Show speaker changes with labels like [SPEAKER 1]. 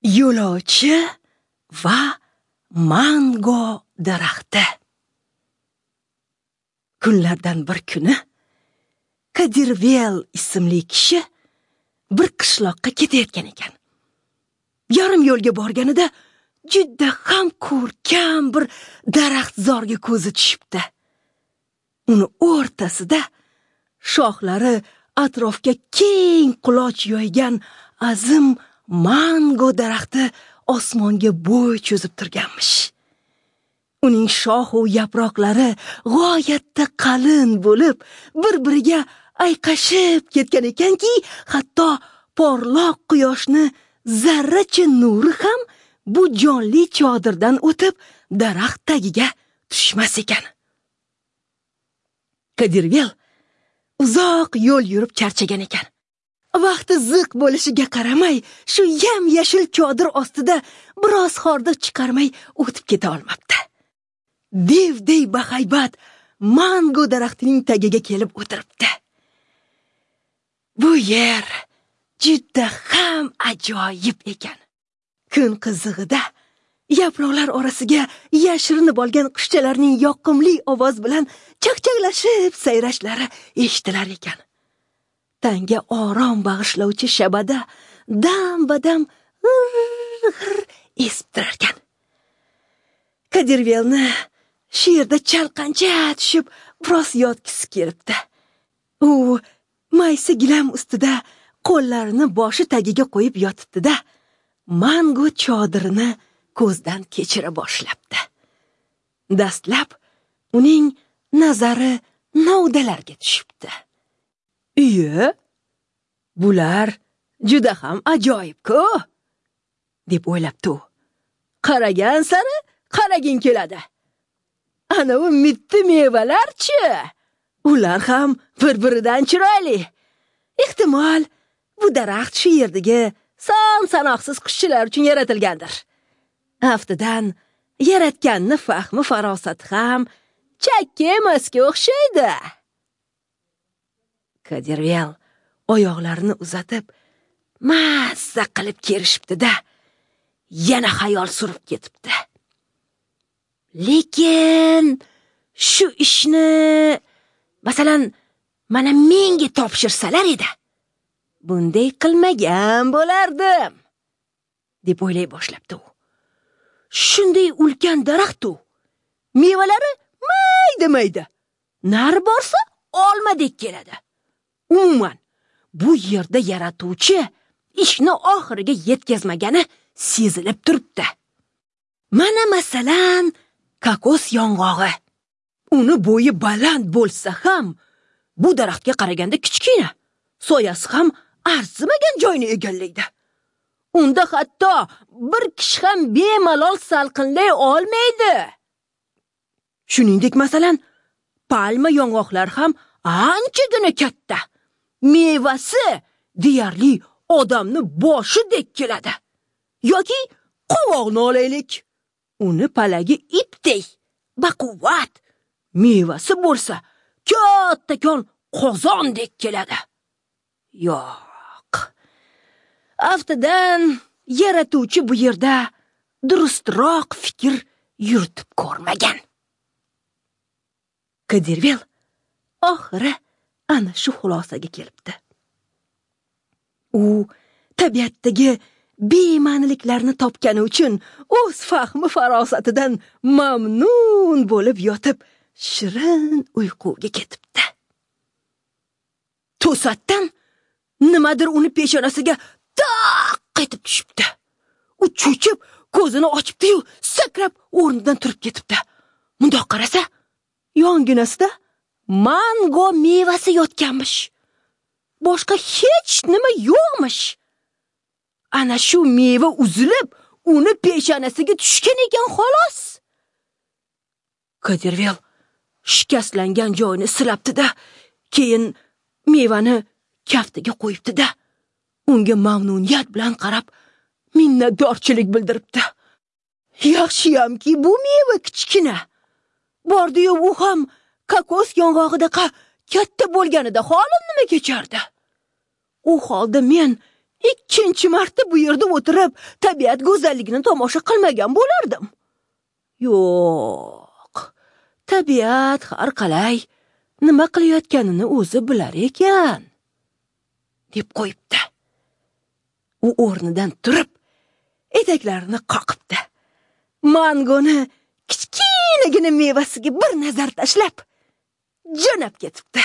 [SPEAKER 1] Yo'lovchi va mango daraxti. Kunlardan bir kuni Kadirvel ismli kishi bir qishloqqa ketayotgan ekan. Yarim yo'lga borganida juda ham ko'rkam bir daraxtzorga ko'zi tushibdi. Uni o'rtasida shoxlari atrofga keng quloch yoygan azim mango daraxti osmonga bo'y cho'zib turganmish. Uning shox u yaproqlari g'oyatda qalin bo'lib, bir-biriga ayqashib ketgan ekanki, hatto porloq quyoshni zarracha nuri ham bu jonli chodirdan o'tib daraxt tagiga tushmas ekan. Kadirvel uzoq yo'l yurib charchagan ekan. Vaqti ziq bo'lishiga qaramay, shu yam-yashil chodir ostida biroz hordiq chiqarmay o'tib keta olmabdi. Devday bahaybat mango daraxtining tagiga kelib o'tiribdi. Bu yer juda ham ajoyib ekan. Kun qizig'ida yaproqlar orasiga yashirinib olgan qushchalarning yoqimli ovoz bilan chaqchaqlashib sayrashlari eshitilar ekan. Tanga orom bag'ishlovchi shabada dam-badam g'ir-g'ir esib turarkan. Kadirvelni shu yerda chalqancha tushib biroz yotgisi kelibdi. U maysa gilam ustida qo'llarini boshi tagiga qo'yib yotibdi-da, mango chodirini ko'zdan kechira boshlabdi. Dastlab uning nazari novdalarga tushibdi. Iye, bular juda ham ajoyib-ku, deb o'ylabdi u. Qaragan sari qaraging keladi. Ana u mitti mevalar-chi, ular ham bir-biridan chiroyli. Ehtimol bu daraxt shu yerdagi son-sanoqsiz qushchilar uchun yaratilgandir. Aftidan yaratganni fahmi farosati ham chakka emasga o'xshaydi. Kadirvel oyoqlarini uzatib, mazza qilib kerishibdi-da, yana xayol surib ketibdi. Lekin shu ishni, masalan, mana menga topshirsalar edi, bunday qilmagan bo'lardim, deb o'ylay boshlabdi u. Shunday ulkan daraxt u. Mevalari mayda-mayda. Nari borsa olmadek keladi. Umuman, bu yerda yaratuvchi ishni oxiriga yetkazmagani sezilib turibdi. Mana masalan, kokos yong'og'i. Uni bo'yi baland bo'lsa ham, bu daraxtga qaraganda kichkina. Soyasi ham arzimagan joyni egallaydi. Unda hatto bir kishi ham bemalol salqinlay olmaydi. Shuningdek, masalan, palma yong'oqlar ham anchagina katta. Mevasi deyarli odamni boshidek keladi. Yoki qovoqni olaylik. Uni palagi ipdek, baquvvat. Mevasi bo'lsa kattakon qozondek keladi. Yo'q. Aftidan yaratuvchi bu yerda durustroq fikr yuritib ko'rmagan. Kadirvel oxiri ana shu xulosaga kelibdi. U tabiatdagi bema'niliklarni topgani uchun o'z fahmi farosatidan mamnun bo'lib yotib, shirin uyquga ketibdi. To'satdan nimadir uni peshonasiga taq etib tushibdi. U cho'chib, ko'zini ochibdi-yu, sakrab o'rnidan turib ketibdi. Mundoq qarasa, yonginasida mango mevasi yotganmish. Boshqa hech nima yo'qmish. Ana shu meva uzilib, uni peshonasiga tushgan ekan xolos. Kadirvel shikastlangan joyini silabdi-da, keyin mevani kaftiga qo'yibdi-da, unga mamnuniyat bilan qarab minnatdorchilik bildiribdi. Yaxshiyamki, bu meva kichkina. Bordi-yu u ham kokos yong'og'idaqa katta bo'lganida holim nima kechardi? U holda men ikkinchi marta bu yerda o'tirib, tabiat go'zalligini tomosha qilmagan bo'lardim. Yo'q, tabiat har qalay nima qilayotganini o'zi bilar ekan, deb qo'yibdi. U o'rnidan turib, etaklarini qoqibdi. Mangoni kichkinagina mevasiga bir nazar tashlab, jo'nab ketibdi.